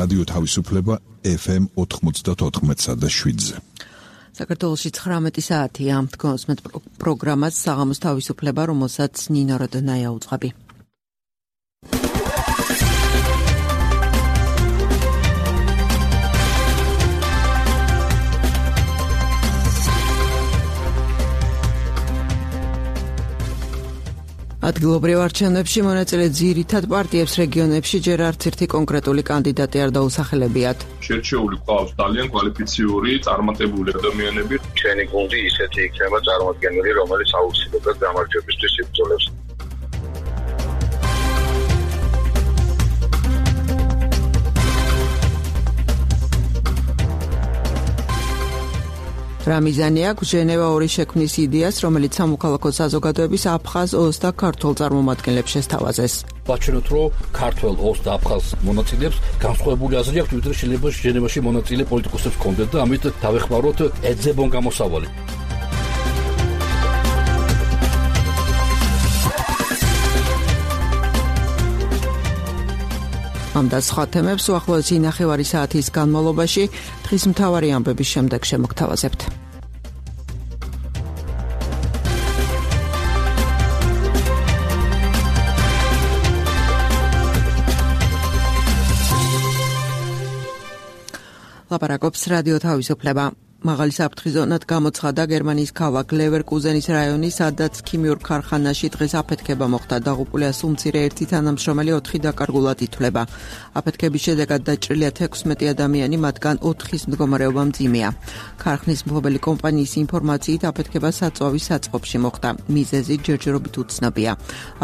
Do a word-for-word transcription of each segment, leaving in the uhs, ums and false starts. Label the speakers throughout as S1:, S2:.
S1: რადიო თავისუფლება ეფ ემ ოთხმოცდაოთხ და შვიდზე.
S2: საქართველოში ცხრამეტი საათია ამ თქოს მე პროგრამას საღამოს თავისუფლება, რომელსაც ნინო როდონაია უძღვები. ადგილობრივ არჩევნებში მონაწილე ძირითად პარტიებს რეგიონებში ჯერ არც ერთი კონკრეტული კანდიდატი არ დაუსახელებიათ.
S3: შერჩეული ყავს ძალიან კვალიფიციური, წარმატებული ადამიანები.
S4: ჩვენი გუნდი ისეთი იქნება წარმოადგენელი, რომელიც აუცილებლად გამარჯვებისთვის იბრძოლებს.
S2: რა მიზანი აქვს ჟენევა ორი შექმნის იდეას, რომელიც სამოქალაქო საზოგადოების აფხაზ ოს და ქართულ წარმომადგენლებს შესთავაზეს.
S5: ვაჩვენოთ, რომ ქართველ ოს და აფხაზ მონაწილეებს განსხვავებული აზრი აქვს, ვიდრე შეიძლება ჟენევაში მონაწილე პოლიტიკოსებს ჰქონდეთ და ამით დავეხმაროთ ეძებონ გამოსავალი. ამ და სხვა თემებს უახლოესი ნახევარი საათის განმავლობაში დღის მთავარი ამბების შემდეგ შემოგთავაზებთ. ლაპარაკობს რადიო თავისუფლება. მაღალი საფრთხის ზონად გამოცხადა გერმანიის ქალაქ ლევერკუზენის რაიონი, სადაც ქიმიურ ქარხანაში დღეს აფეთქება მოხდა. დაღუპულია სულ მცირე ერთი თანამშრომელი, ოთხი დაკარგულად ითვლება. აფეთქების შედეგად დაჭრილია თექვსმეტი ადამიანი, მათგან ოთხის მდგომარეობა მძიმეა. ქარხნის მფლობელი კომპანიის ინფორმაციით აფეთქება საწვავის საწყობში მოხდა. მიზეზი ჯერჯერობით უცნობია.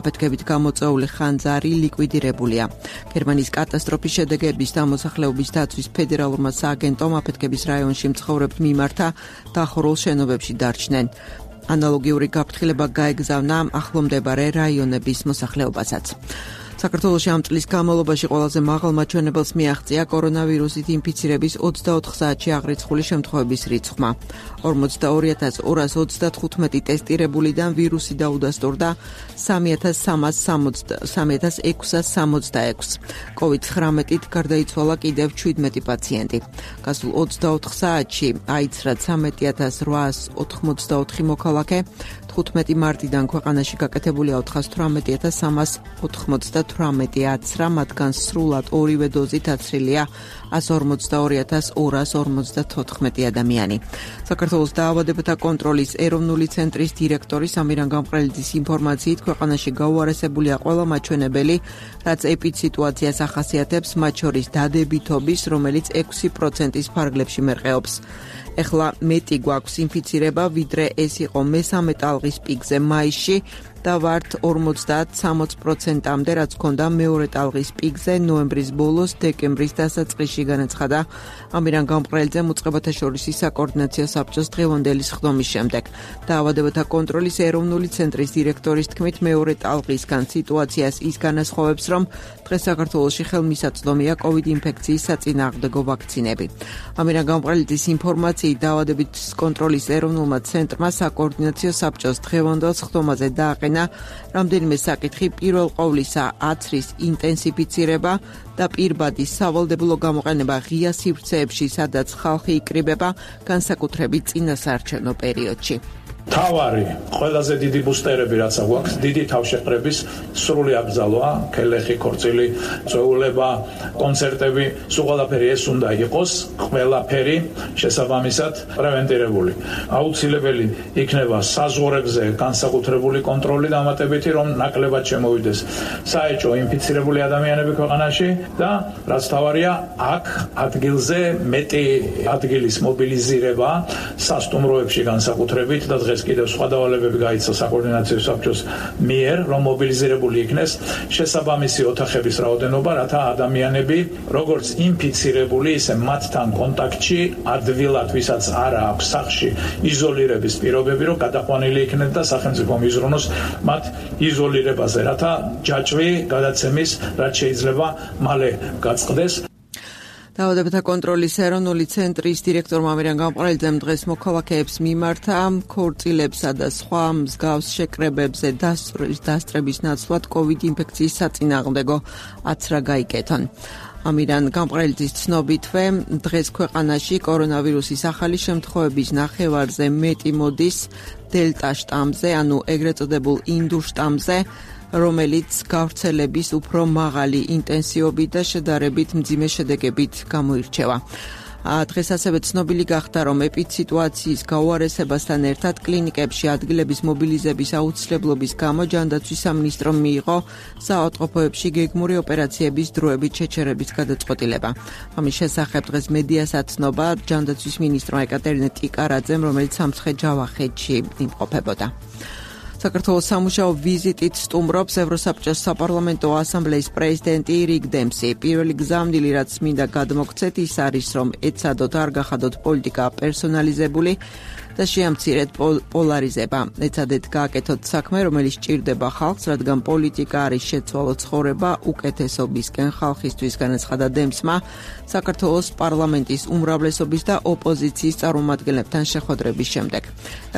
S5: აფეთქებით გამოწვეული ხანძარი ლიკვიდირებულია. გერმანიის კატასტროფის შედეგების დამოსახლეობის დაცვის ფედერალურმა სააგენტომ აფეთქების რაიონში მცხოვრებთ მიმართა დახურულ შენობებში დარჩნენ. ანალოგიური გაფრთხილება გაეგზავნა ახლომდებარე რაიონების მოსახლეობასაც. საქართველოში ამ წლის განმავლობაში ყველაზე მაღალ მაჩვენებელს მიაღწია კორონავირუსით ინფიცირების ოცდაოთხ საათში აღრიცხული შემთხვევების რიცხვმა. ორმოცდაორი ათას ორას ოცდათხუთმეტი ტესტირებულიდან ვირუსი დაუდასტურდა სამი ათას ექვსას სამოცდაექვსს. კოვიდ ცხრამეტით გარდაიცვალა კიდევ შვიდმეტი პაციენტი. გასულ ოცდაოთხ საათში აიცრა ცხრამეტი ათას რვაას ოთხმოცდაოთხი მოქალაქე. თხუთმეტი მარტიდან ქვეყანაში გაკეთებულია ოთხას თვრამეტი ათას სამას ოთხმოცდათვრამეტი აცრა, მათგან სრულად ორივე დოზით აცრილია ასი ორმოცდაორი ათას ორას ორმოცდათოთხმეტი ადამიანი. საქართველოს დაავადებათა კონტროლის ეროვნული ცენტრის დირექტორი სამირან გამყრელიძის ინფორმაციით ქვეყანაში გაუარესებულია ყველა მაჩვენებელი, რაც ეპიდსიტუაციას ახასიათებს, მათ შორის დადებითობის, რომელიც ექვსი პროცენტის ფარგლებში მერყეობს. ეხლა მეტი გვაქვს ინფიცირება, ვიდრე ეს იყო მესამე ტალღის პიკზე მაისში და ვართ ორმოცდაათ სამოცი პროცენტამდე, რაც ჰქონდა მეორე ტალღის პიკზე ნოემბრის ბოლოს, დეკემბრის დასაწყისში, განაცხადა ამირან გამყრელიძემ უწყებათა შორის საკოორდინაციო საბჭოს დღევანდელი სხდომის შემდეგ. დაავადებათა კონტროლის ეროვნული ცენტრის დირექტორის თქმით, მეორე ტალღისგან სიტუაციას ის განასხვავებს, რომ დღეს საქართველოში ხელმისაწვდომია კოვიდ ინფექციის საწინააღმდეგო ვაქცინები. ამირან გამყრელიძის ინფორმაციით დაავადების კონტროლის ეროვნულმა ცენტრმა საკოორდინაციო საბჭოს დღევანდელ სხდომაზე დააყენა რამდენიმე საკითხი, პირველ ყოვლისა აცრის ინტენსიფიცირება და პირბადის სავალდებულო გამოყენება ღია სივრცეებში, სადაც ხალხი იკრიბება, განსაკუთრებით წინასაარჩევნო პერიოდში.
S6: თავარი, ყველაზე დიდი ბუსტერები რაც აქვს, დიდი თავშეყრების სრული აკრძალვა, ქელეხი, ქორწილი, წვეულება, კონცერტები, სულ ყველაფერი ეს უნდა იყოს, ყველაფერი შესაბამისად პრევენტირებული. აუცილებელი იქნება საზღვრებზე განსაკუთრებული კონტროლი დამატებითი, რომ ნაკლებად შემოვიდეს საეჭვო ინფიცირებული ადამიანები ქვეყანაში და რაც თავარია, აქ ადგილზე მეტი ადგილის მობილიზირება სასტუმროებში განსაკუთრებით და დღეს კიდევ სხვა დავალებები გაიცა საკოორდინაციო საბჭოს მიერ, რომ მობილიზირებული იქნეს შესაბამისი ოთახების რაოდენობა, რათა ადამიანები, როგორც ინფიცირებული, ისე მათთან კონტაქტში ადვილად, ვისაც არ აქვს სახლში იზოლირების პირობები, რომ გადაყვანილი იქნეს და სახელმწიფო მიზრუნოს მათ იზოლირებაზე, რათა ჯაჭვი გადაცემის რაც შეიძლება მალე გაწყდეს.
S2: დაავადებათა კონტროლის ეროვნული ცენტრის დირექტორმა ამირან გამყრელიძემ დღეს მოქალაქეებს მიმართა ქორწილებსა და სხვა მსგავს შეკრებებზე დასწრების ნაცვლად კოვიდ ინფექციის საწინააღმდეგო აცრა გაიკეთონ. ამირან გამყრელიძის ცნობითვე დღეს ქვეყანაში კორონავირუსის ახალი შემთხვევების ნახევარზე მეტი მოდის დელტა შტამზე, ანუ ეგრეთ წოდებულ ინდურ შტამზე, რომელიც გავრცელების უფრო მაღალი ინტენსივობით და შედარებით მძიმე შედეგებით გამოირჩევა. დღეს ასევე ცნობილი გახდა, რომ ეპიდსიტუაციის გაუარესებასთან ერთად კლინიკებში ადგილების მობილიზების აუცილებლობის გამო ჯანდაცვის სამინისტრომ მიიღო საავადმყოფოებში გეგმური ოპერაციების დროებით შეჩერების გადაწყვეტილება. ამის შესახებ დღეს მედიას აცნობა ჯანდაცვის მინისტრმა ეკატერინე ტიკარაძემ, რომელიც სამცხე ჯავახეთში იმყოფებოდა. საქართველოს სამუშაო ვიზიტით სტუმრობს ევროსაბჭოს საპარლამენტო ასამბლეის პრეზიდენტი რიგ დემსი. პირველი გზავნილი, რაც მინდა გადმოგცეთ, ის არის, რომ ეცადოთ არ გახადოთ პოლიტიკა პერსონალიზებული და შეამცირეთ პოლარიზება. ეცადეთ გააკეთოთ საქმე, რომელიც სჭირდება ხალხს, რადგან პოლიტიკა არის შეცვალო ცხოვრება უკეთესობისკენ ხალხისთვის, განაცხადა დემსმა საქართველოს პარლამენტის უმრავლესობის და ოპოზიციის წარმომადგენლებთან შეხვედრების შემდეგ.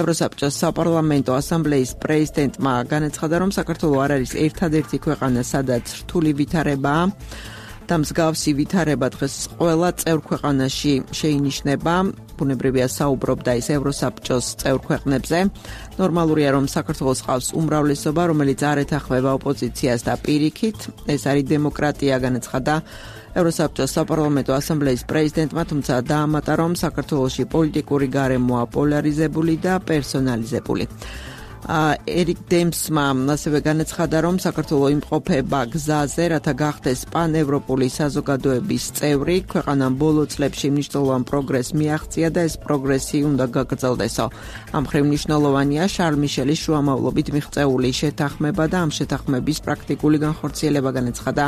S2: ევროსაბჭოს საპარლამენტო ასამბლეის პრეზიდენტმა განაცხადა, რომ საქართველო არ არის ერთადერთი ქვეყანა, სადაც რთული ვითარებაა და მსგავსი ვითარება დღეს ყველა წევრ ქვეყანაში შეინიშნება. ბუნებრივია საუბრობდა ის ევროსაბჭოს წევრ ქვეყნებზე. ნორმალურია, რომ საქართველოს ყავს უმრავლესობა, რომელიც არ ეთანხმება ოპოზიციას და პირიქით. ეს არის დემოკრატია, განაცხადა ევროსაბჭოს საპარლამენტო ასამბლეის პრეზიდენტმა, თუმცა დაამატა, რომ საქართველოში პოლიტიკური გარემოა პოლარიზებული და პერსონალიზებული. ერიკ დემსმა ასევე განაცხადა, რომ საქართველო იმყოფება გზაზე, რათა გახდეს პანევროპული საზოგადოების წევრი. ქვეყანამ ბოლო წლებში მნიშვნელოვან პროგრესს მიაღწია და ეს პროგრესი უნდა გაგრძელდესო. ამ მხრივ მნიშვნელოვანია შარლ მიშელის შუამავლობით მიღწეული შეთანხმება და ამ შეთანხმების პრაქტიკული განხორციელება, განაცხადა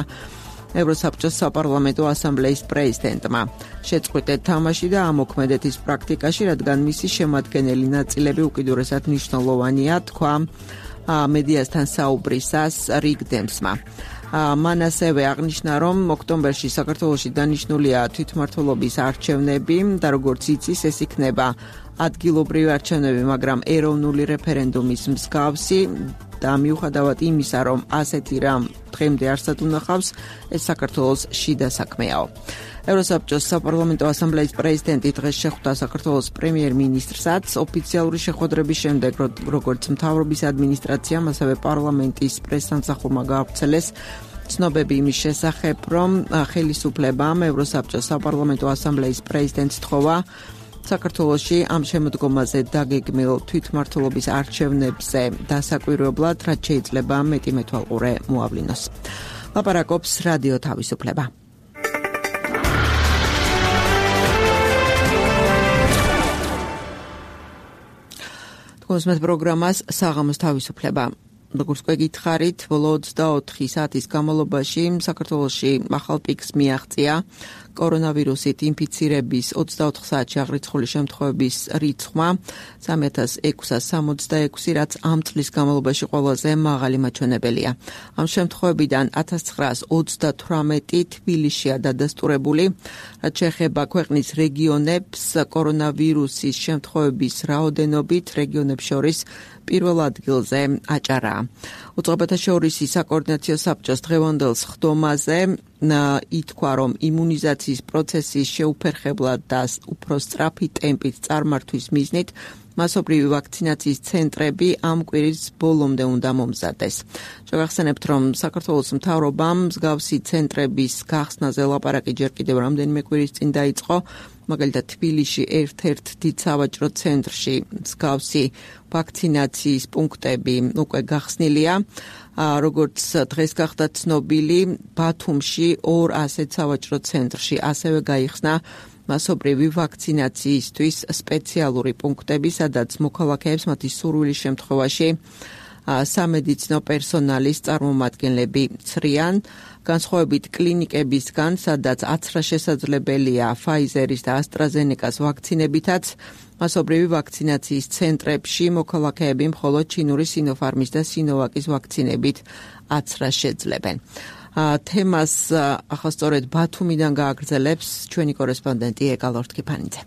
S2: ევროსაბჭოს საპარლამენტო ასამბლეის პრეზიდენტმა. შეწყვიტეთ თამაში და ამოქმედეთ ის პრაქტიკაში, რადგან მისი შემადგენელი ნაწილები უკიდურესად მნიშვნელოვანია, თქვა მედიასთან საუბრისას რიგ დემსმა. მან ასევე აღნიშნა, რომ ოქტომბერში საქართველოში დანიშნულია თვითმმართველობის არჩევნები და როგორც იცის, ეს იქნება ადგილობრივი არჩევნები, მაგრამ ეროვნული რეფერენდუმის მსგავსი და მიუხედავად იმისა, რომ ასეთი რამ დღემდე არსად უნახავს, ეს საქართველოს შიდა საქმეაო. ევროსაბჭოს საპარლამენტო ასამბლეის პრეზიდენტი დღეს შეხვდა საქართველოს პრემიერ-მინისტრსაც. ოფიციალური შეხვედრების შემდეგ, როგორც მთავრობის ადმინისტრაციამ, ასევე პარლამენტის პრესსამსახურმა გაავრცელეს ცნობები იმის შესახებ, რომ ხელისუფლებამ ევროსაბჭოს საპარლამენტო ასამბლეის პრეზიდენტს თხოვა საქართველოში ამ შემოდგომაზე დაგეგმილ თვითმმართველობის არჩევნებზე დასაკვირვებლად, რაც შეიძლება მეტი მეთვალყურე მოავლინოს. ლაპარაკობს რადიო თავისუფლება. თქვენს პროგრამას საღამოს თავისუფლება. როგორც გვეკითხარით, ბოლო ოცდაოთხი საათის განმავლობაში საქართველოში ახალ პიკს მიაღწია კორონავირუსით ინფიცირების ოცდაოთხ საათში აღრიცხული შემთხვევების რიცხვმა სამი ათას ექვსას სამოცდაექვსი, რაც ამ წლის განმავლობაში ყველაზე მაღალი მაჩვენებელია. ამ შემთხვევებიდან ათას ცხრაას ოცდათვრამეტი თბილისშია დადასტურებული, რაც შეეხება ქვეყნის რეგიონებს კორონავირუსის შემთხვევების რაოდენობით რეგიონებს შორის პირველ ადგილზე აჭარაა. უწყებათა შორისი საკოორდინაციო საბჭოს დღევანდელ სხდომაზე ითქვა, რომ იმუნიზაციის პროცესის შეუფერხებლად და უფრო სწრაფი ტემპით წარმართვის მიზნით მასობრივი ვაქცინაციის ცენტრები ამ კვირის ბოლომდე უნდა მომზადდეს. შევახსენებთ, რომ საქართველოს მთავრობამ მსგავსი ცენტრების გახსნაზე ლაპარაკი ჯერ კიდევ რამდენიმე კვირის წინ დაიწყო. მაგალითად, თბილისში ერთ-ერთ დიდ სავაჭრო ცენტრში მსგავსი ვაქცინაციის პუნქტები უკვე გახსნილია. როგორც დღეს გახდა ცნობილი, ბათუმში ორ ასეთ სავაჭრო ცენტრში ასევე გაიხსნა მასობრივი ვაქცინაციისთვის სპეციალური პუნქტები, სადაც მოქალაქეებს მათი სურვილის შემთხვევაში სამედიცინო პერსონალის წარმომადგენლები ცრიან. განსხვავებით კლინიკებისგან, სადაც აცრა შესაძლებელია ფაიზერის და ასტრაზენეკას ვაქცინებითაც, მასობრივი ვაქცინაციის ცენტრებში მოქალაქეები მხოლოდ ჩინური სინოფარმის და სინოვაკის ვაქცინებით აცრას შეძლებენ. თემას ახლა სწორედ ბათუმიდან გააგრძელებს ჩვენი კორესპონდენტი ეკალორთქიფანიძე.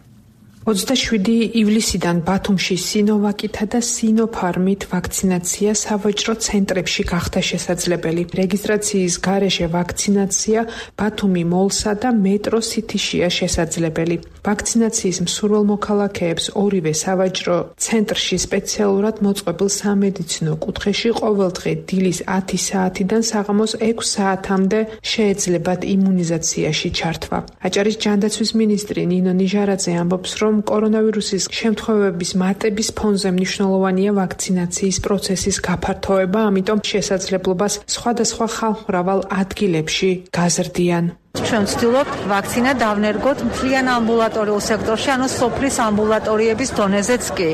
S7: ოცდაშვიდი ივლისიდან ბათუმში სინოვაკითა და სინოფარმით ვაქცინაცია სავაჭრო ცენტრებში გახდა შესაძლებელი. რეგისტრაციის გარეშე ვაქცინაცია ბათუმი მოლსა და მეტრო სიტიშია შესაძლებელი. ვაქცინაციის მსურველ მოქალაქეებს ორივე სავაჭრო ცენტრში სპეციალურად მოწყობილ სამედიცინო კუთხეში ყოველდღე დილის ათი საათიდან საღამოს ექვს საათამდე შეეძლებათ იმუნიზაციაში ჩართვა. აჭარის ჯანდაცვის მინისტრი ნინო ნიჟარაძე ამბობს, რომ კორონავირუსის შემთხვევების მატების ფონზე მნიშვნელოვანია ვაქცინაციის პროცესის გაფართოება, ამიტომ შესაძლებლობას სხვადასხვა ხალხმრავალ ადგილებში გაზრდიან.
S8: ჩვენ ვცდილობთ ვაქცინა დავნერგოთ მთლიან ამბულატორიულ სექტორში, ანუ სოფლის ამბულატორიების დონეზეც კი.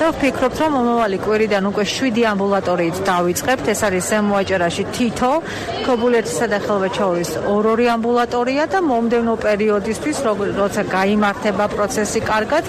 S8: და ვფიქრობთ, რომ მომავალი კვირიდან უკვე შვიდი ამბულატორიით დავიწყებთ. ეს არის ზემო აჭარაში თითო, ქობულეთისა და ხელვაჩაურის ორ-ორი ამბულატორია და მომდევნო პერიოდისთვის, როცა გაიმართება პროცესი კარგად,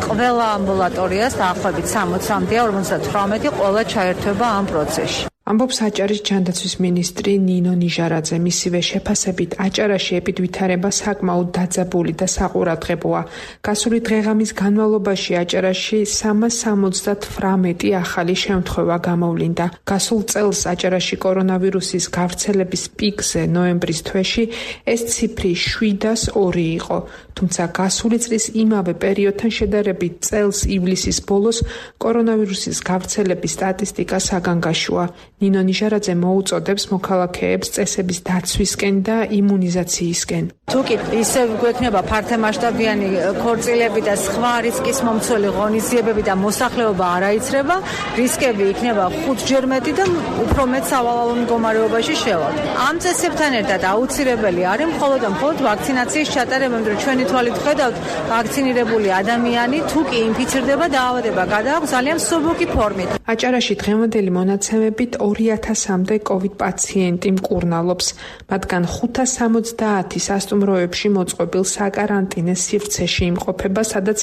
S8: ყველა ამბულატორიას დაახლოებით სამოცამდე, ორმოცდათვრამეტი ყველა ჩაერთვება ამ პროცესში.
S7: ამბობს აჭარის ჯანდაცვის მინისტრი ნინო ნიჟარაძე. მისივე შეფასებით აჭარაში ეპიდვითარება საკმაოდ დაძაბული და საყურადღებოა. გასული დღეღამის განმავლობაში აჭარაში სამას სამოცდათვრამეტი ახალი შემთხვევა გამოვლინდა. გასულ წელს აჭარაში კორონავირუსის გავრცელების პიკზე ნოემბრის თვეში ეს ციფრი შვიდას ორი იყო. თუმცა გასული წლის იმავე პერიოდთან შედარებით წელს ივლისის ბოლოს კორონავირუსის გავრცელების სტატისტიკა საგანგაშოა. ნინო ნიჟარაძე მოუწოდებს მოქალაქეებს წესების დაცვისკენ და იმუნიზაციისკენ.
S8: თუკი ისევ გვექნება ფართომასშტაბიანი ქორწილები და სხვა რისკის მომცველი ღონისძიებები და მოსახლეობა არ აიცრება, რისკები იქნება ხუთჯერ მეტი და უფრო მეტ სავალალო მდგომარეობაში შევალთ. ამ წესებთან ერთად აუცილებელი არის მხოლოდ და მხოლოდ ვაქცინაციის ჩატარება, იმიტომ რომ ჩვენი თვალით ხედავთ, ვაქცინირებული ადამიანი თუკი ინფიცირდება, დაავადება გადააქვს ძალიან მსუბუქი ფორმით.
S7: აჭარაში დღევანდელი მონაცემებით ორი ათასამდე კოვიდ პაციენტი მკურნალობს. მათგან ხუთას სამოცდაათი სასტუმროებში მოწყობილ საკარანტინე სივრცეში იმყოფება, სადაც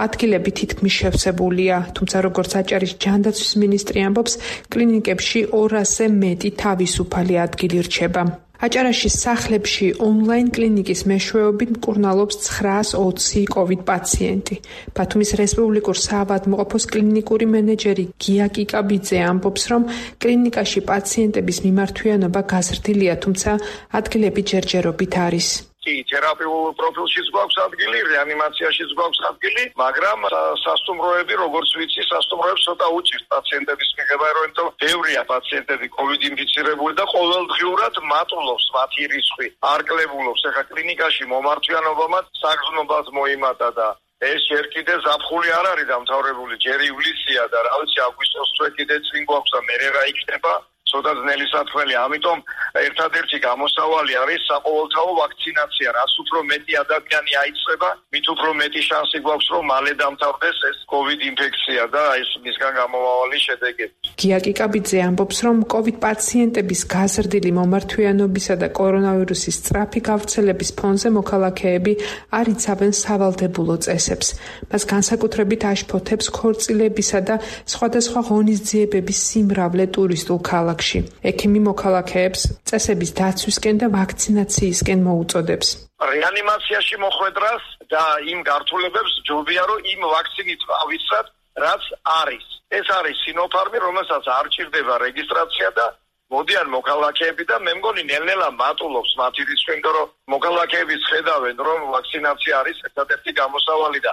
S7: ადგილები თითქმის შევსებულია. თუმცა როგორც აჭარის ჯანდაცვის მინისტრი ამბობს, კლინიკებში ორასზე მეტი თავისუფალი ადგილი რჩება. აჭარაში სახლებში ონლაინ კლინიკის მეშვეობით მკურნალობს ცხრაას ოცი კოვიდ პაციენტი. ბათუმის რესპუბლიკურ საავადმყოფოს კლინიკური მენეჯერი გია კიკაბიძე ამბობს, რომ კლინიკაში პაციენტების მიმართვიანობა გაზრდილია, თუმცა ადგილები ჯერჯერობით არის.
S4: კი, თერაპიულ პროფილშიც გვაქვს ადგილი, რეანიმაციაში გვაქვს ადგილი, მაგრამ სასტუმროები, როგორც ვიცი, სასტუმროებს ცოტა უჭირთ პაციენტების მიღება, რომ ბევრია პაციენტები კოვიდ ინფიცირებული და ყოველდღიურად მატულობს მათი რისხვი, არ კლებულობს. ახლა კლინიკაში მომართვიანობამაც საგრძნობად მოიმატა და ეს ჯერ კიდე ზაფხული არ არის დამთავრებული, ჯერ ივლისია და რა ვიცი, აგვისტოს თვე კიდე წინ გვაქვს და მერე რა იქნება. ცოტა ძნელი საქმეა, ამიტომ ერთადერთი გამოსავალი არის საყოველთაო ვაქცინაცია. რაც უფრო მეტი ადამიანი აიწყება, მით უფრო მეტი შანსი გვაქვს, რომ მალე დამთავრდეს ეს კოვიდ ინფექცია და ეს მისგან გამომავალი შედეგები.
S7: გია კიკაბიძე ამბობს, რომ კოვიდ პაციენტების გაზრდილი მომართვიანობისა და კორონავირუსის სწრაფი გავრცელების ფონზე მოქალაქეები არ იცავენ სავალდებულო წესებს. მას განსაკუთრებით აშფოთებს ქორწილებისა და სხვადასხვა ღონისძიებების სიმრავლე ტურისტულ ქალაქში. ექიმი მოქალაქეებს წესების დაცვისკენ და ვაქცინაციისკენ მოუწოდებს.
S4: რეანიმაციაში მოხვედრას და იმ გართულებებს ჯობია, რომ იმ ვაქცინით ავიცრათ, რაც არის. ეს არის სინოფარმი, რომელსაც არ ჭირდება რეგისტრაცია და მოდიან მოქალაქეები და მე მგონი ნელ-ნელა მატულობს მათი რისკი, იმიტომ რომ მოქალაქეები ხედავენ, რომ ვაქცინაცია არის ერთადერთი გამოსავალი და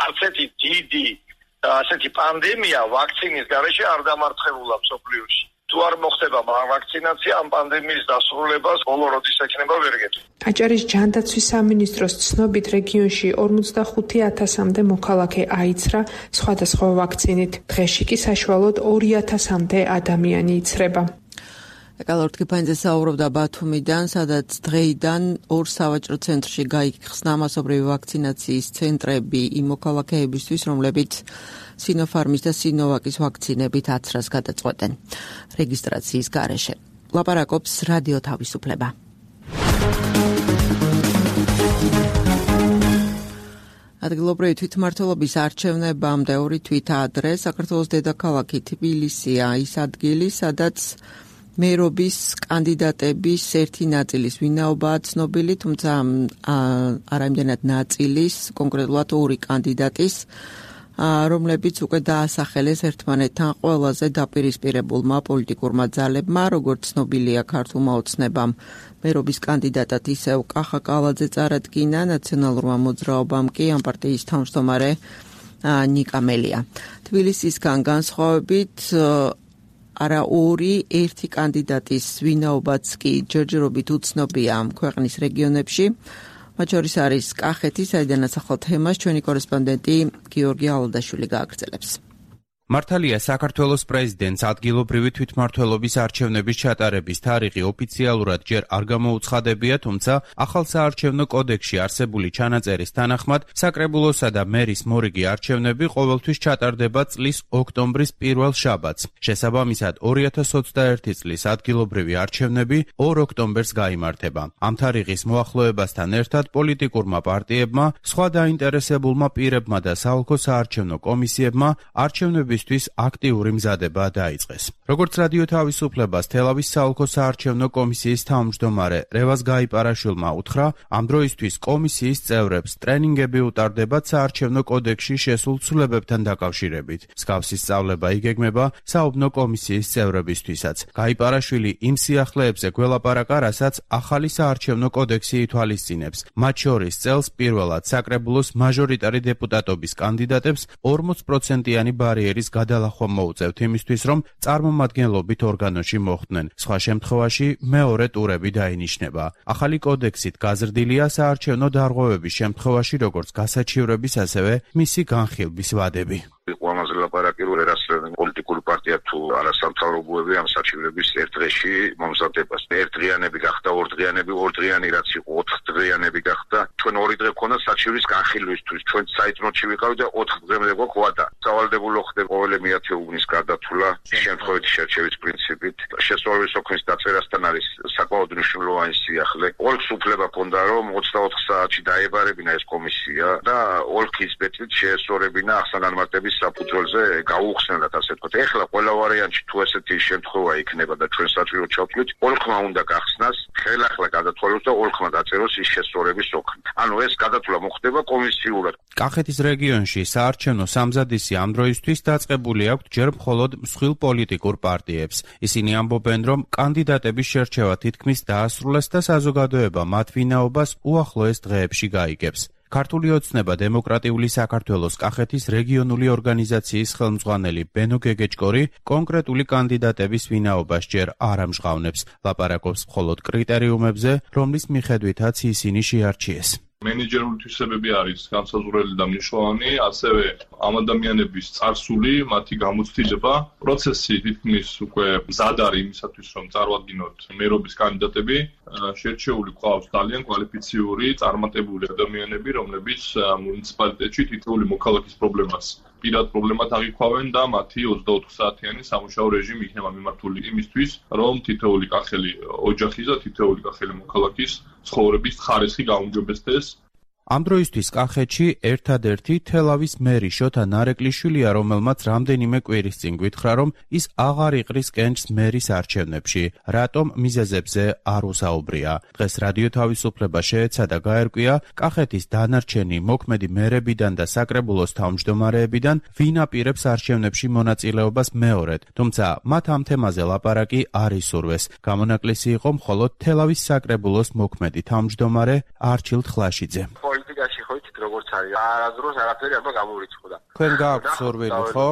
S4: არც ერთი დიდი ასეთი პანდემია ვაქცინის გარეშე არ დამარცხებულა მსოფლიოში. თუ არ მოხდება ვაქცინაცია, ამ პანდემიის დასრულებას ბოლო როდის ექნება ვერ გეტყვი.
S7: აჭარის ჯანდაცვის სამინისტროს ცნობით რეგიონში ორმოცდახუთი ათასამდე მოქალაქე აიცრა სხვადასხვა ვაქცინით. დღეში კი საშუალოდ ორი ათასამდე ადამიანი იცრება.
S2: ეკალორტკი ფაინზე საუბრობდა ბათუმიდან, სადაც დღეიდან ორ სავაჭრო ცენტრში გაიხსნა მასობრივი ვაქცინაციის ცენტრები იმ მოქალაქეებისთვის, რომლებიც სინოფარმის და სინოვაკის ვაქცინებით აცრას გადაწყვეტენ რეგისტრაციის გარეშე. ლაპარაკობს რადიო თავისუფლება. ადგილობრივი თვითმმართველობის არჩევნებამდე ორი თვით ადრე საქართველოს დედაქალაქი თბილისია ის ადგილი, სადაც მერობის კანდიდატების ერთი ნაწილის ვინაობაა ცნობილი, თუმცა არა იმდენად ნაწილის, კონკრეტულად ორი კანდიდატის, რომლებიც უკვე დაასახელეს ერთმანეთთან ყველაზე დაპირისპირებულმა პოლიტიკურმა ძალებმა, როგორც ცნობილია ქართულმა ოცნებამ. მერობის კანდიდატად ისევ კახა კალაძე წარადგინა, ნაციონალურმა მოძრაობამ კი ამ პარტიის თავმჯდომარე ნიკა მელია. თბილისისგან განსხვავებით არა ორი, ერთი კანდიდატის ვინაობაც კი ჯერჯერობით უცნობია ქვეყნის რეგიონებში. მათ შორის არის კახეთი, საიდანაც ახალ თემას ჩვენი კორესპონდენტი გიორგი ალადაშვილი გააგრძელებს.
S9: მართალია საქართველოს პრეზიდენტს ადგილობრივი თვითმმართველობის არჩევნების ჩატარების თარიღი ოფიციალურად ჯერ არ გამოუცხადებია, თუმცა ახალ საარჩევნო კოდექსში არსებული ჩანაწერის თანახმად საკრებულოსა და მერის მორიგი არჩევნები ყოველთვის ჩატარდება წლის ოქტომბრის პირველ შაბათს. შესაბამისად, ორი ათას ოცდაერთი წლის ადგილობრივი არჩევნები ორ ოქტომბერს გაიმართება. ამ თარიღის მოახლოებასთან ერთად პოლიტიკურმა პარტიებმა, სხვა დაინტერესებულმა პირებმა და საოლქო საარჩევნო კომისიებმა არჩევნები აქტიური მზადება დაიწყეს. როგორც რადიო თავისუფლებას თელავის საოლქო საარჩევნო კომისიის თავმჯდომარე რევაზ გაიპარაშვილმა უთხრა, ამ დროისთვის კომისიის წევრებს ტრენინგები უტარდებათ საარჩევნო კოდექსში შესულ ცვლილებებთან დაკავშირებით. მსგავსი სწავლება იგეგმება საუბნო კომისიის წევრებისთვისაც. გაიპარაშვილი იმ სიახლეებზე გველაპარაკა, რასაც ახალი საარჩევნო კოდექსი ითვალისწინებს. მათ შორის წელს პირველად საკრებულოს მაჟორიტარი დეპუტატობის კანდიდატებს ორმოც პროცენტიანი ბარიერის გადალახვა მოუწევთ იმისთვის, რომ წარმომადგენლობით ორგანოში მოხვდნენ. სხვა შემთხვევაში მეორე ტურები დაინიშნება. ახალი კოდექსით გაზრდილია საარჩევნო დარღვევების შემთხვევაში, როგორც გასაჩივრების, ასევე მისი განხილვის ვადები.
S4: ყველაზე ლაპარაკი რომ ერასწრებენ პოლიტიკური პარტია თუ არასამთავრობოები ამ საჩივრების ერთ დღეში მომზადებას. ერთდღიანები გახდა, ორდღიანები, ორდღიანი რაც იყო, ოთხდღიანები გახდა. ჩვენ ორი დღე გქონდა საჩივრის განხილვისთვის. ჩვენ საიტნოტში ვიყავით და ოთხ დღემდე გვაქვს ვადა. სავალდებულო ხდება ყოველი მეათე უბნის გარდაცვლა, შემთხვევით შერჩევის პრინციპით. შესწავლის ოქმის დაწერასთან არის საკმაოდ მნიშვნელოვანი სიახლე. ოლქს უფლება ჰქონდა რომ ოცდაოთხ საათში დაებარებინა ეს კომისია და ოლქის ბეჭდით შეესწორებინა ახსნა-განმარტების საფუძველზე გაუხსნელად, ასე ვთქვათ. ეხლა ყველა ვარიანტში თუ ესეთი შემთხვევა იქნება და ჩვენ საჭირო ჩავთვლით, ოლქმა უნდა გახსნას, ხელახლა გადათვალოს და ოლქმა დაწეროს ის შესწორების ოქმი. ანუ ეს გადათვლა მოხდება კომისიურად.
S9: კახეთის რეგიონში საარჩევნო სამზადისი ამ დროისთვის დაწყებული აქვთ ჯერ მხოლოდ მსხვილ პოლიტიკურ პარტიებს. ისინი ამბობენ, რომ კანდიდატების შერჩევა თითქმის დაასრულეს და საზოგადოება მათ ვინაობას უახლოეს დღეებში გაიგებს. ქართული ოცნება დემოკრატიული საქართველოს კახეთის რეგიონული ორგანიზაციის ხელმძღვანელი ბენო გეგეჭკორი კონკრეტული კანდიდატების ვინაობას ჯერ არ ამჟღავნებს, ლაპარაკობს მხოლოდ კრიტერიუმებზე, რომლის მიხედვითაც ისინი შეარჩიეს.
S3: მენეჯერული თვისებები არის განსაზღვრელი და მნიშვნელოვანი, ასევე ამ ადამიანების წარსული, მათი გამოცდილება, პროცესი თითქმის უკვე მზად არის იმისათვის, რომ წარვადგინოთ მერობის კანდიდატები. შერჩეული გვყავს ძალიან კვალიფიციური, წარმატებული ადამიანები, რომლებიც მუნიციპალიტეტში თითოეული მოქალაქის პრობლემას პირად პრობლემად აღიქვავენ და მათი ოცდაოთხ საათიანი სამუშაო რეჟიმი იქნება მიმართული იმისთვის, რომ თითოეული კახელი ოჯახის და თითოეული კახელი მოქალაქის ცხოვრების ხარისხი გაუმჯობესდეს.
S9: ამ დროისთვის კახეთში ერთადერთი თელავის მერი შოთა ნარეკლიშვილია, რომელმაც რამდენიმე კვირის წინ გვითხრა, რომ ის აღარ იყრის კენჭს მერის არჩევნებში. რატომ მიზეზებზე არ უსაუბრია. დღეს რადიო თავისუფლება შეეცადა გაერკვია კახეთის დანარჩენი მოქმედი მერებიდან და საკრებულოს თავმჯდომარეებიდან ვინ აპირებს არჩევნებში მონაწილეობას მეორედ, თუმცა მათ ამ თემაზე ლაპარაკი არ ისურვეს. გამონაკლისი იყო მხოლოდ თელავის საკრებულოს მოქმედი თავმჯდომარე არჩილ ხლაშიძე.
S4: პოლიტიკაში ხო იცით როგორც არის, არასდროს არაფერი არ გამორიცხდა.
S9: თქვენ გააქვთ სურვილი, ხო?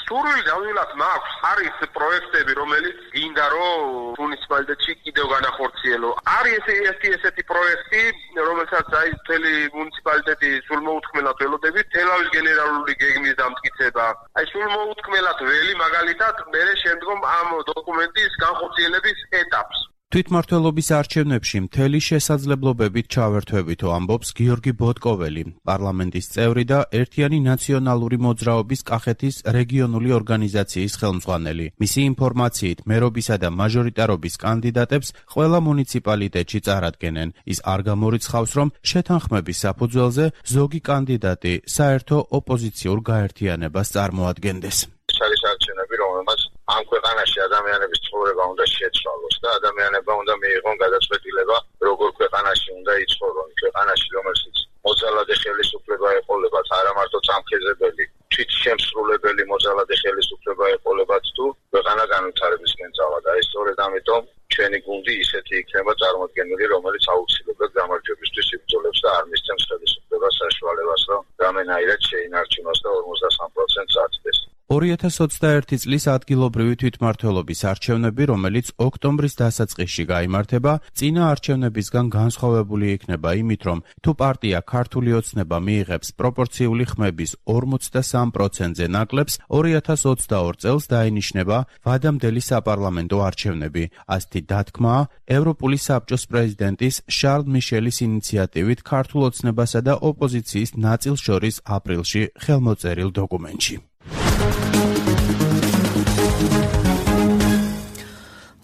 S4: სურვილი დავივლათ მაქვს, არის პროექტები, რომელიც გინდა რომ მუნიციპალიტეტში კიდევ განახორციელო. არის ესეთი ესეთი პროექტი, რომელსაც აი მთელი მუნიციპალიტეტი სულმოუთქმელად ველოდებით, თელავის გენერალური გეგმის დამტკიცება. აი სულმოუთქმელად ველი მაგალითად მე შემდგომ ამ დოკუმენტის განხორციელების ეტაპს.
S9: თვითმმართველობის არჩევნებში მთელი შესაძლებლობებით ჩავერთვებითო ამბობს გიორგი ბოტკოველი, პარლამენტის წევრი და ერთიანი ნაციონალური მოძრაობის კახეთის რეგიონული ორგანიზაციის ხელმძღვანელი. მისი ინფორმაციით, მერობისა და მაჟორიტარობის კანდიდატებს ყველა მუნიციპალიტეტში წარადგენენ. ის არ გამორიცხავს, რომ შეთანხმების საფუძველზე ზოგი კანდიდატი საერთო ოპოზიციურ გაერთიანებას წარმოადგენდეს.
S4: არის არჩევნები, რომელმაც ამ ქვეყანაში ადამიანების ცხოვრება უნდა შეცვალოს და ადამიანებმა უნდა მიიღონ გადაწყვეტილება, როგორ ქვეყანაში უნდა იცხოვრონ, ქვეყანაში, რომელშიც მოძალადე ხელისუფლება ეყოლებათ, არა მარტო წამხეზებელი, თვითშემსრულებელი მოძალადე ხელისუფლება ეყოლებათ თუ ქვეყანა განვითარებისკენ წავა და ეს სწორედ ამიტომ ჩვენი გუნდი ისეთი იქნება წარმოდგენილი, რომელიც აუცილებლად გამარჯვებისთვის იბრძოლებს და არ მისცემს ხელისუფლებას საშუალებას, რომ რამენაირად შეინარჩუნოს და ორმოცდასამ პროცენტს აწდეს.
S9: ორი ათას ოცდაერთი წლის ადგილობრივი თვითმმართველობის არჩევნები, რომელიც ოქტომბრის დასაწყისში გაიმართება, წინა არჩევნებისგან განსხვავებული იქნება იმით, რომ თუ პარტია ქართული ოცნება მიიღებს პროპორციული ხმების ორმოცდასამ პროცენტზე ნაკლებს, ორი ათას ოცდაორ წელს დაინიშნება ვადამდელი საპარლამენტო არჩევნები. ასეთი დათქმაა ევროპული საბჭოს პრეზიდენტის შარლ მიშელის ინიციატივით ქართულ ოცნებასა და ოპოზიციის ნაწილს შორის აპრილში ხელმოწერილ დოკუმენტში.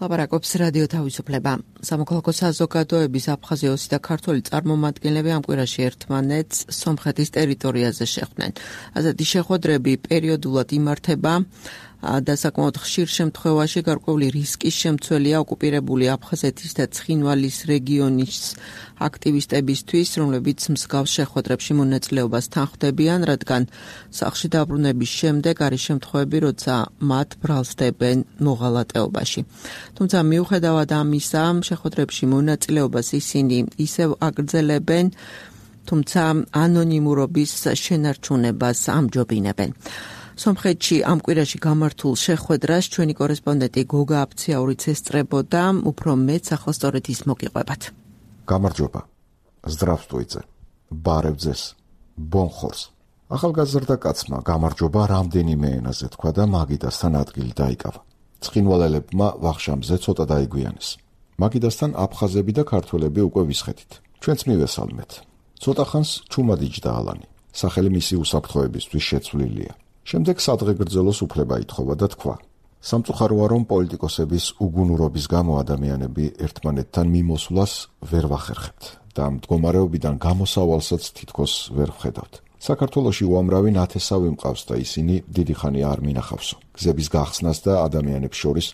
S2: ლაპარაკობს რადიო თავისუფლება. სამოქალაქო საზოგადოების აფხაზიოსი და ქართველი წარმომადგენლები ამ კვირაში ერთმანეთს სომხეთის ტერიტორიაზე შეხვდნენ. ასეთი შეხვედრები პერიოდულად იმართება და საკმაოდ ხშირ შემთხვევაში გარკვეული რისკის შემცველია ოკუპირებული აფხაზეთის და ცხინვალის რეგიონის აქტივისტებისთვის, რომლებიც მსგავს შეხვედრებში მონაწილეობას თანხმდებიან, რადგან სახლში დაბრუნების შემდეგ არის შემთხვევები, როცა მათ ბრალსდებენ მოღალატეობაში. თუმცა მიუხედავად ამისა, შეხვედრებში მონაწილეობას ისინი ისევ აგრძელებენ, თუმცა ანონიმურობის შენარჩუნებას ამჯობინებენ. სომხეთში ამ კვირაში გამართულ შეხვედრას ჩვენი კორესპონდენტი გოგა აფციაურიც ესწრებოდა, უფრო მეც ახლა სწორედ ის მოგიყვებათ.
S10: გამარჯობა. Здравствуйте. ბარევძეს. ბონხორს. ახალგაზრდა კაცმა გამარჯობა რამდენიმე ენაზე თქვა და მაგიდასთან ადგილი დაიკავა. ცხინვალელებმა ვახშამზე ცოტა დაიგვიანეს. მაგიდასთან აფხაზები და ქართველები უკვე ვისხეთით. ჩვენც მივესალმეთ. ცოტა ხანს ჩუმადიჯდა ალანი. სახელი მისი უსაფრთხოებისთვის შეცვლილია. შემდეგ სადღეგრძელოს უფლება ითხოვა და თქვა: სამწუხაროა, რომ პოლიტიკოსების უგუნურობის გამო ადამიანები ერთმანეთთან მიმოსვლას ვერ ვახერხებთ და მდგომარეობიდან გამოსავალსაც თითქოს ვერ ვხედავთ. საქართველოში უამრავი ნათესავი მყავს და ისინი დიდი ხანია არ მინახავსო. გზების გახსნას და ადამიანებს შორის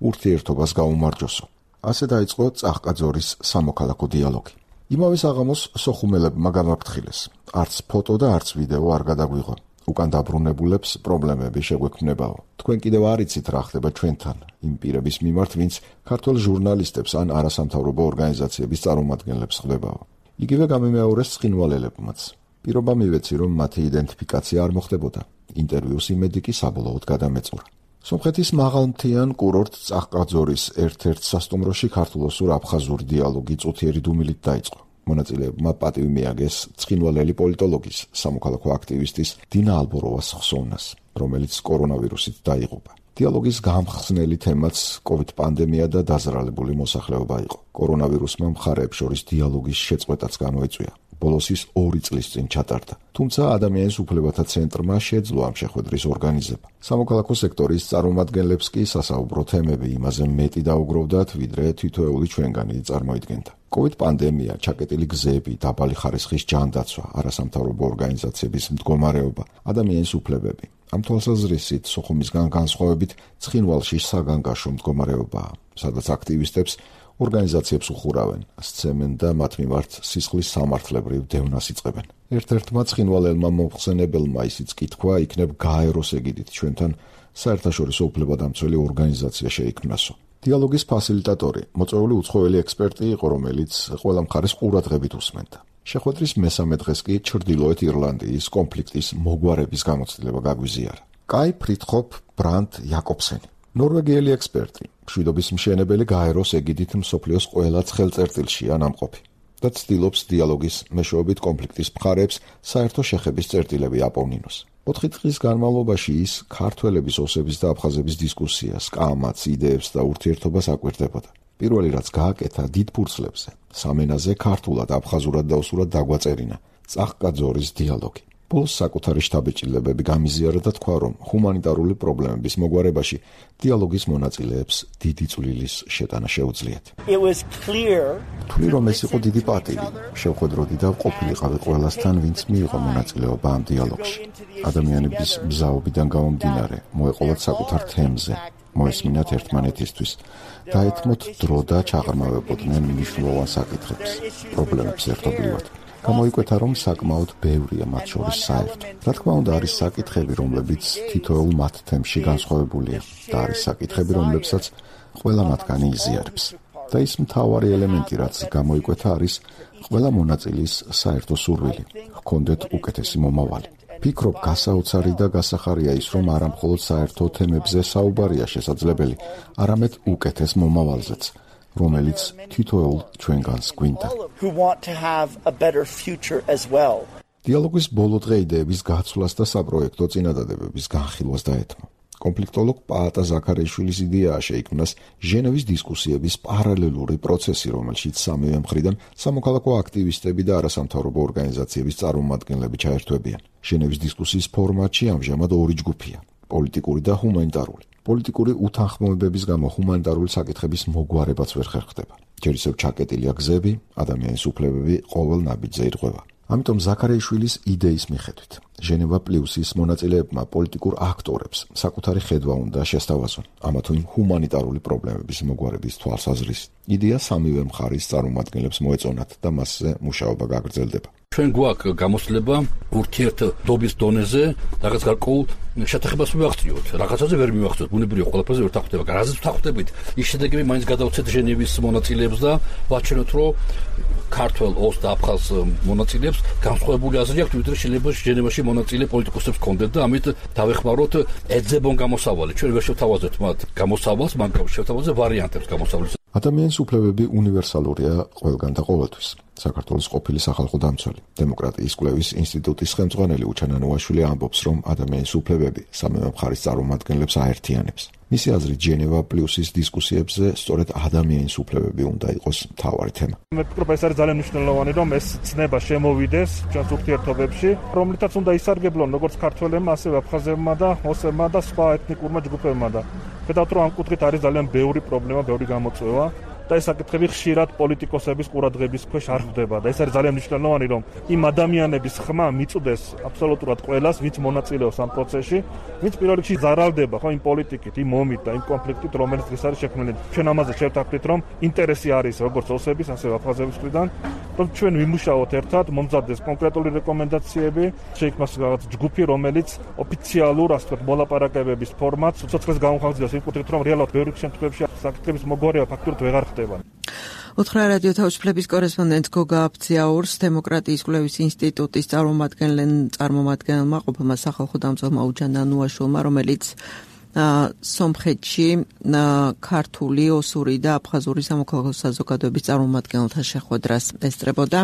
S10: ურთიერთობას გაუმარჯოსო. ასე დაიწყო წახკაძორის სამოქალაქო დიალოგი. იმავე საღამოს სოხუმელებმა გამაფრთხილეს. არც ფოტო და არც ვიდეო არ გადაგვიღო. უკან დაბრუნებულებს პრობლემები შეგვექმნებაო. თქვენ კიდევ არ იცით რა ხდება ჩვენთან, იმ პირების მიმართ, ვინც ქართველ ჟურნალისტებს ან არასამთავრობო ორგანიზაციების წარმომადგენლებს ხდებაო. იგივე გამიმეორეს ცხინვალელებმაც. პირობა მივეცი, რომ მათი იდენტიფიკაცია არ მოხდებოდა. ინტერვიუს იმედი კი საბოლოოდ გადამეწურა. სომხეთის მაღალმთიან კურორტ წახკაძორის ერთ-ერთ სასტუმროში ქართულ-აფხაზური დიალოგი წუთიერი დუმილით დაიწყო. მონაწილეებმა პატივი მიაგეს ცხინვალელი პოლიტოლოგის, სამოქალაქო აქტივისტის დინა ალბოროვას ხსოვნას, რომელიც კორონავირუსით დაიღუპა. დიალოგის გამხსნელი თემაც კოვიდ პანდემია და დაზრალებული მოსახლეობა იყო. კორონავირუსმა მხარეებს შორის დიალოგის შეწყვეტაც გამოიწვია. ბოლოს ის ორი წლის წინ ჩატარდა. თუმცა ადამიანის უფლებათა ცენტრმა შეძლო ამ შეხვედრის ორგანიზება. სამოქალაქო სექტორის წარმომადგენლებს კი სასაუბრო თემები იმაზე მეტი დაუგროვდათ, ვიდრე თითოეული ჩვენგანი წარმოიდგენდა. კოვიდ პანდემია, ჩაკეტილი გზები, დაბალი ხარისხის ჯანდაცვა, არასამთავრობო ორგანიზაციების მდგომარეობა, ადამიანის უფლებები. ამ თვალსაზრისით სოხუმისგან განსხვავებით ცხინვალში საგანგაშო მდგომარეობაა, სადაც აქტივისტებს ორგანიზაციებს უხურავენ, სცემენ და მათ მიმართ სისხლის სამართლებრივ დევნას იწყებენ. ერთ-ერთმა ცხინვალელმა მომხსენებელმა ისიც კითხვა იქნებ გაეროს ეგიდით ჩვენთან საერთაშორისო უფლებადამცველი ორგანიზაცია შეიქმნასო. დიალოგის ფასილიტატორი, მოწვეული უცხოელი ექსპერტი იყო, რომელიც ყველა მხარეს ყურადღებით უსმენდა. შეხვედრის მესამე დღეს კი ჩრდილოეთ ირლანდიის კონფლიქტის მოგვარების გამოცდილება გაგვიზიარა. კაი ფრიდხოფ ბრანდ იაკობსენი, ნორვეგიელი ექსპერტი, მშვიდობის მშენებელი გაეროს ეგიდით მსოფლიოს ყველა ცხელწერტილშია ნამყოფი და ცდილობს დიალოგის მეშვეობით კონფლიქტის მხარეებს საერთო შეხების წერტილები აპოვნინოს. ოთხი დღის განმავლობაში ის ქართველების ოსების და აფხაზების დისკუსიას, კამათს, იდეებს და ურთიერთობას აკვირდებოდა. პირველი რაც გააკეთა დიდ ფურცლებზე, სამენაზე ქართულად, აფხაზურად და ოსურად დაგვაწერინა წახკაძორის დიალოგი. ბოლოს საკუთარი შთაბეჭდილებები გამიზიარა და თქვა, რომ ჰუმანიტარული პრობლემების მოგვარებაში დიალოგის მონაწილეებს დიდი წვლილის შეტანა შეუძლიათ. თვლი რომ ეს იყო დიდი პატივი, შევხვედროდი და ყოფილიყავი ყველასთან, ვინც მიიღო მონაწილეობა ამ დიალოგში. ადამიანების მზაობიდან გამომდინარე, მოეყოლათ საკუთარ თემზე, მოესმინათ ერთმანეთისთვის, დაეთმოთ დრო და ჩაღრმავებოდნენ მნიშვნელოვან საკითხებს, პრობლემებს ერთობლივად. გამოიკვეთა, რომ საკმაოდ ბევრია მათ შორის საერთო. რა თქმა უნდა, არის საკითხები, რომლებიც თითოეულ მათ თემში განსხვავებულია და არის საკითხები, რომლებსაც ყველა მათგანი იზიარებს. და ის მთავარი ელემენტი, რაც გამოიკვეთა, არის ყველა მონაწილის საერთო სურვილი, ჰქონდეთ უკეთესი მომავალი. ფიქრობ, გასაოცარი და გასახარია ის, რომ არა მხოლოდ საერთო თემებზე საუბარია შესაძლებელი, არამედ უკეთეს მომავალზეც, რომელიც თითოეულ ჩვენგანს გვინდა. დიალოგის ბოლო დღე იდეების გაცვლას და საპროექტო წინადადებების განხილვას დაეთმო. კონფლიქტოლოგ პაატა ზაქარიშვილის იდეაა შეიქმნას ჟენევის დისკუსიების პარალელური პროცესი, რომელშიც სამივე მხრიდან სამოქალაქო აქტივისტები და არასამთავრობო ორგანიზაციების წარმომადგენლები ჩაერთვებიან. ჟენევის დისკუსიის ფორმატში ამჟამად ორი ჯგუფია: პოლიტიკური და ჰუმანიტარული. პოლიტიკური უთანხმოებების გამო ჰუმანიტარული საკითხების მოგვარებაც ვერ ხერხდება. ჯერ ისევ ჩაკეტილია გზები, ადამიანის უფლებები ყოველ ნაბიჯზე ირღვევა. ამიტომ ზაქარიშვილის იდეის მიხედვით ჟენევა პლუსის მონაწილეებმა პოლიტიკურ აქტორებს საკუთარი ხედვა უნდა შესთავაზონ ამა თუ იმ ჰუმანიტარული პრობლემების მოგვარების თვალსაზრისით. იდეა სამივე მხარის წარმომადგენლებს მოეწონათ და მასზე მუშაობა გაგრძელდება.
S11: ჩვენ გვაქვს გამოცდილება ურთიერთობის დონეზე რაღაც გარკვეულ შეთანხმებას მივაღწიოთ. რაღაცაზე ვერ მივაღწიოთ, ბუნებრივია ყველაფერზე ვერ თანხმდება. რაზეც ვთანხმდებით, ის შედეგები მაინც გადავცეთ ჟენევის მონაწილეებს და ვაჩვენოთ, რომ ქართველ, ოს და აფხაზ მონაწილეებს განსხვავებული აზრი აქვთ, ვიდრე შეიძლება ჟენევაში მონაწილე პოლიტიკოსებს ჰქონდეთ და ამით დავეხმაროთ ეძებონ გამოსავალი. ჩვენ ვერ შევთავაზებთ მათ გამოსავალს, მაგრამ შევთავაზებთ ვარიანტებს გამოსავლის.
S10: ადამიანის უფლებები უნივერსალურია ყველგან და ყოველთვის. საქართველოს ყოფილი სახალხო დამცველი, დემოკრატიის კვლევის ინსტიტუტის ხელმძღვანელი უჩან ანუაშვილი ამბობს, რომ ადამიანის უფლებები სამივე მხარის წარმომადგენლებს აერთიანებს. მისი აზრით, ჟენევა პლუსის დისკუსიებზე სწორედ ადამიანის უფლებები უნდა იყოს მთავარი თემა.
S6: მე ვფიქრობ, ეს არის ძალიან მნიშვნელოვანი, რომ ეს ცნება შემოვიდეს ჩვენს ურთიერთობებში, რომლითაც უნდა ისარგებლონ როგორც ქართველებმა, ასევე აფხაზებმა და ოსებმა და სხვა ეთნიკურმა ჯგუფებმა და ხედავთ, რომ ამ კუთხით არის ძალიან ბევრი პრობლემა, ბევრი გამოწვევა. და ეს საკითხები ხშირად პოლიტიკოსების ყურადღების ქვეშ არ ხდება და ეს არის ძალიან მნიშვნელოვანი, რომ იმ ადამიანების ხმა მიწვდეს აბსოლუტურად ყველას, ვინც მონაწილეობს ამ პროცესში, ვინც პირველ რიგში ზარალდება ხო იმ პოლიტიკით, იმ ომით და იმ კონფლიქტით, რომელიც დღეს არის შექმნილი. ჩვენ ამაზე შევთანხმდით, რომ ინტერესი არის როგორც ოსების, ასევე აფხაზების მხრიდან, რომ ჩვენ ვიმუშაოთ ერთად, მომზადდეს კონკრეტული რეკომენდაციები, შეიქმნას რაღაც ჯგუფი, რომელიც ოფიციალურ, ასე ვთქვათ, მოლაპარაკებების ფორმატს უცოცხლეს გამოხატავს იმ კუთხით, რომ რეალურად ბევრი შემთხვევაში საკითხების მოგვარება ფაქტურად ვეღარ ხდება.
S2: უთხრა რადიო თავისუფლების კორესპონდენტ გოგა აბძიაურს, დემოკრატიის კვლევის ინსტიტუტის წარმომადგენელმა ყოფილმა სახალხო დამცველმა უჯან ანუაშვილმა, რომელიც სომხეთში ქართული, ოსური და აფხაზური სამოქალაქო საზოგადოების წარმომადგენელთა შეხვედრას ესწრებოდა.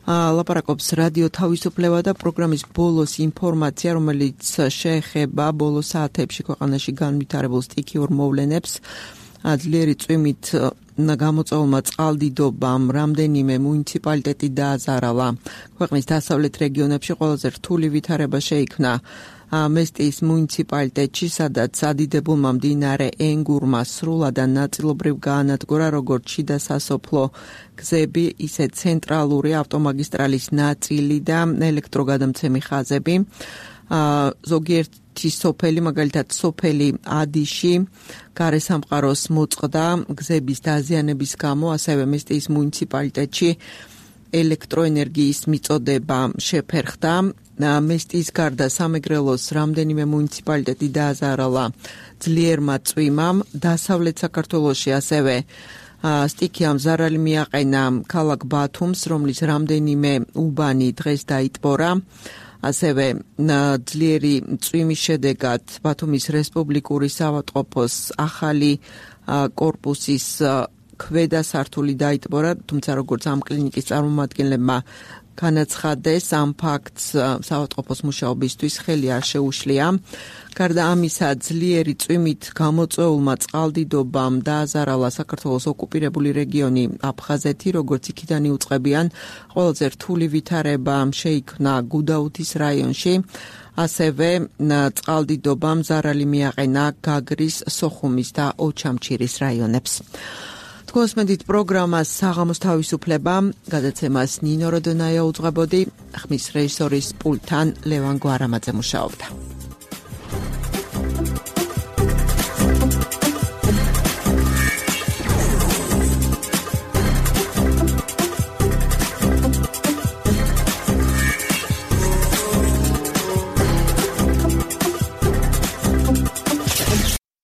S2: ლაპარაკობს რადიო თავისუფლება და პროგრამის ბოლოს ინფორმაცია, რომელიც შეეხება ბოლო საათებში ქვეყანაში განვითარებულ სტიქიურ მოვლენებს. ძლიერი წვიმით გამოწვეულმა წყალდიდობამ რამდენიმე მუნიციპალიტეტი დააზარალა. ქვეყნის დასავლეთ რეგიონებში ყველაზე რთული ვითარება შეიქმნა მესტიის მუნიციპალიტეტში, სადაც ადიდებულმა მდინარე ენგურმა სრულად და ნაწილობრივ გაანადგურა როგორც შიდა სასოფლო გზები, ისე ცენტრალური ავტომაგისტრალის ნაწილი და ელექტროგადამცემი ხაზები. ზოგიერთი სოფელი, მაგალითად სოფელი ადიში, გარესამყაროს მოწყდა გზების დაზიანების გამო, ასევე მესტიის მუნიციპალიტეტში ელექტროენერგიის მიწოდება შეფერხდა. მესტიის გარდა სამეგრელოს რამდენიმე მუნიციპალიტეტი დააზარალა ძლიერმა წვიმამ. დასავლეთ საქართველოში ასევე სტიქიამ ზარალი მიაყენა ქალაქ ბათუმს, რომლის რამდენიმე უბანი დღეს დაიტბორა. ასევე ძლიერი წვიმის შედეგად ბათუმის რესპუბლიკური საავადმყოფოს ახალი კორპუსის ქვედა სართული დაიტბორა, თუმცა როგორც ამ კლინიკის წარმომადგენლებმა განაცხადეს, ამ ფაქტს საავადმყოფოს მუშაობისთვის ხელი არ შეუშლია. გარდა ამისა, ძლიერი წვიმით გამოწვეულმა წყალდიდობამ დააზარალა საქართველოს ოკუპირებული რეგიონი აფხაზეთი, როგორც იქიდან იუწყებიან. ყველაზე რთული ვითარება შეიქმნა გუდაუთის რაიონში. ასევე წყალდიდობამ ზარალი მიაყენა გაგრის, სოხუმის და ოჩამჩირის რაიონებს. თქოსმედით პროგრამას საღამოს თავისუფლება, გადაცემას ნინო როდონაია უძღვებოდი, ხმის რეჟისორის პულტთან ლევან გვარამაძე მუშაობდა.